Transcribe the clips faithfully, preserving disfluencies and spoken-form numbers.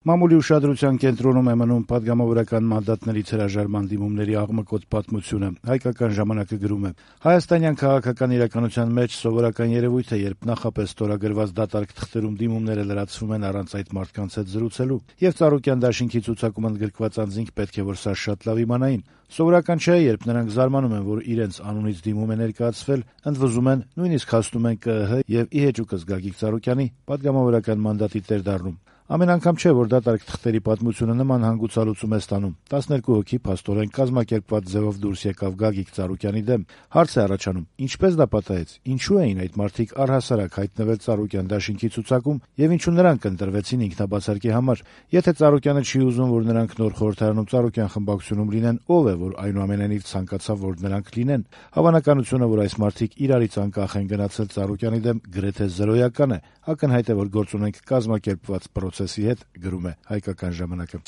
Մամուլի ուշադրության կենտրոնում է մնում պատգամավորական մանդատներից հրաժարման դիմումների աղմկոտ պատմությունը։ Հայկական ժամանակը գրում է. Հայաստանյան քաղաքական իրականության մեջ սովորական երևույթ է, երբ նախապես ստորագրված դատարկ թղթերում դիմումները լրացվում են առանց այդ մարդկանց հետ զրուցելու, եւ Ծառուկյան դաշինքի ցուցակում ընդգրկված անձինք պետք է որ սա շատ լավ իմանային։ Սովորական չէ, երբ նրանք զարմանում են, որ իրենց անունից դիմում է ներկայացվել, ընդվզում են, նույնիսկ հասնում են ԿԸՀ եւ ի հեճուկս Գագիկ Ծառուկյանի պատգամավորական մանդատի տեր դառնում։ Ամեն անգամ չէ, որ դատարկ թղթերի պատմությունը նման հանգուցալուծում է ստանում։ տասներկու հոգի փաստորեն կազմակերպված ձևով դուրս եկավ Գագիկ Ծառուկյանի դեմ։ Հարց է առաջանում. ինչպես դա պատահեց, ինչու էին այդ մարդիկ առհասարակ հայտնվել Ծառուկյան դաշինքի ցուցակում եւ ինչու նրանք ընտրվեցին ինքնաբացարկի համար։ Եթե Ծառուկյանը չի ուզում, որ նրանք նոր խորհրդարանում Ծառուկյան խմբակցությունում լինեն, ով է, որ այնուամենայնիվ ցանկացավ, որ նրանք լինեն։ Հավանականությունը, որ այս մարդիկ իրարից անկախ են գնացել Ծառուկյանի դեմ, գրեթե զրոյական է։ Ակնհայտ է, որ գործ ունենք կազմակերպված պրոցեսի հետ, գրում է Հայկական ժամանակը։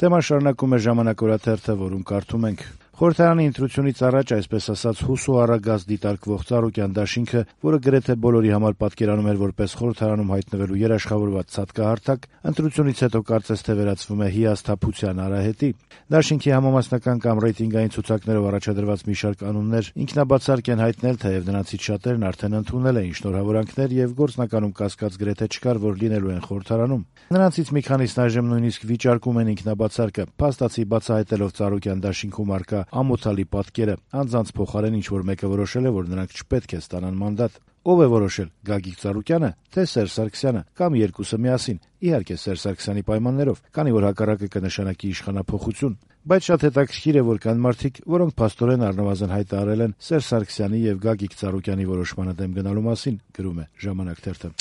Թեման շարունակում է Ժամանակ օրաթերթը, որում կարդում ենք. Խորհրդարանի ընտրությունից առաջ, այսպես ասած, հուսու առագազ դիտարկվող Ծառուկյան դաշինքը, որը գրեթե բոլորի համար պատկերանում էր որպես խորհրդարանում հայտնվելու երաշխավորված ցատկահարթակ, ընտրությունից հետո կարծես թե վերածվում է հիասթափության արահետի։ Դաշինքի համամասնական կամ ռեյտինգային ցուցակներով առաջադրված մի շարք անուններ ինքնաբացարկ են հայտնել, թեև նրանցից շատերն արդեն ընդունել էին շնորհավորանքներ եւ գործնականում կասկած գրեթե չկար, որ լինելու են խորհրդարանում։ Նրանցից մի քանիսն այժմ նույնիսկ վիճարկում են ինքնաբացարկը, փաստացի բացահայտելով Ծառուկյան դաշինքում առկա ամոթալի պատկերը, անձանց փոխարեն ինչ որ մեկը որոշել է, որ նրանք չպետք է ստանան մանդատ։ Ով է որոշել՝ Գագիկ Ծառուկյանը, թե Սերժ Սարգսյանը, կամ երկուսը միասին։ Իհարկե Սերժ Սարգսյանի պայմաններով, քանի որ հակառակը կնշանակի իշխանափոխություն։ Բայց շատ հետաքրքիր է, որ կան մարդիկ, որոնք փաստորեն առնվազն հայտարարել են Սերժ Սարգսյանի եւ Գագիկ Ծառուկյանի որոշմանը դեմ գնալու մասին, գրում է Ժամանակ թերթը։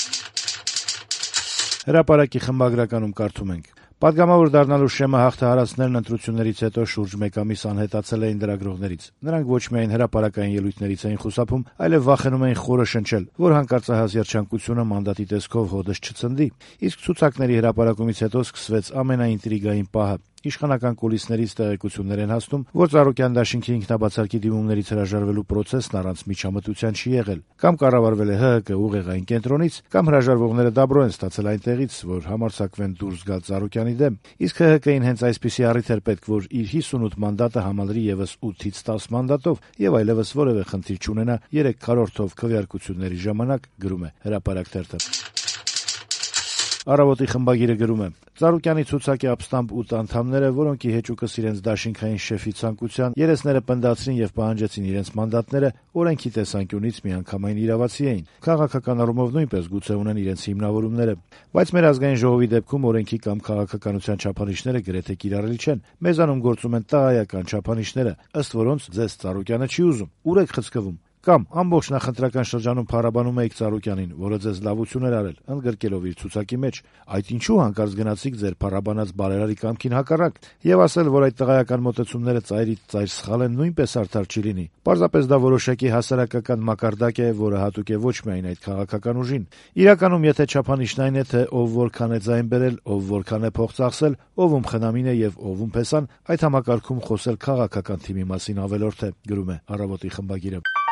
Հրապարակի խմբագրականում կարդում ենք. Պատգամավոր դառնալու շեմը հաղթահարածներն ընտրություններից հետո շուրջ մեկ ամիս անհետացել էին լրագրողներից։ Նրանք ոչ միայն հրապարակային ելույթներից էին խուսափում, այլև վախենում էին խորը շնչել, որ հանկարծահաս երջանկությունը մանդատի տեսքով հոդս չցնդի։ Իսկ ցուցակների հրապարակումից հետո սկսվեց ամենաինտրիգային պահը։ Իշխանական կուլիսներից տեղեկություններ են հասնում, որ Ծառուկյան դաշինքի ինքնաբացարկի դիմումներից հրաժարվելու պրոցեսն առանց միջամտության չի եղել։ Կամ կառավարվել է ՀՀԿ ուղեղային կենտրոնից, կամ հրաժարվողները դաբրո են ստացել այնտեղից, որ համարձակվեն դուրս գալ Ծառուկյանի դեմ։ Իսկ ՀՀԿ-ին հենց այսպիսի առիթ էր պետք, որ իր հիսունութ մանդատը համալրի եւս ութից տաս մանդատով եւ այլեւս որեւէ խնդիր չունենա երեք քառորդով քվեարկությունների ժամանակ, գրում է Հրապարակ թերթը։ Առավոտի խմբագիրը գրում է. Ծառուկյանի ցուցակի ապստամբ ութ անդամները, որոնք ի հեճուկս իրենց դաշինքային շեֆի ցանկության երեսները պնդացրին եւ պահանջեցին իրենց մանդատները, օրենքի տեսանկյունից միանգամայն իրավացի էին։ Քաղաքական առումով նույնպես գուցե ունեն իրենց հիմնավորումները, բայց մեր ազգային ժողովի դեպքում օրենքի կամ քաղաքականության չափանիշները գրեթե կիրառելի չեն։ Մեզանում գործում են տղայական չափանիշները, ըստ որոնց ձեզ Ծառուկյանը չի ուզում։ Ուր եք խցկվում։ Կամ ամբողջ նախընտրական շրջանում փառաբանում էիք Ծառուկյանին, որը ձեզ լավություն էր արել, ընդգրկելով իր ցուցակի մեջ։ Այդ ինչու հանկարծ գնացիք ձեր փառաբանած բարերարի կամքին հակառակ, եւ ասել, որ այդ տղայական մոտեցումները ծայրից ծայր սխալ են, նույնպես արդար չի լինի։ Պարզապես դա որոշակի հասարակական մակարդակ է, որը հատուկ է ոչ միայն այդ քաղաքական ուժին։ Իրականում, եթե չափանիշն այն է, թե ով որքան է ձայն բերել, ով որքան է փող ծախսել, ով ում խնամին է եւ ով ում փեսան, այդ համակարգում խոսել քաղաքական թիմի մասին ավելորդ է, գրում է Առավոտի խմբագիրը։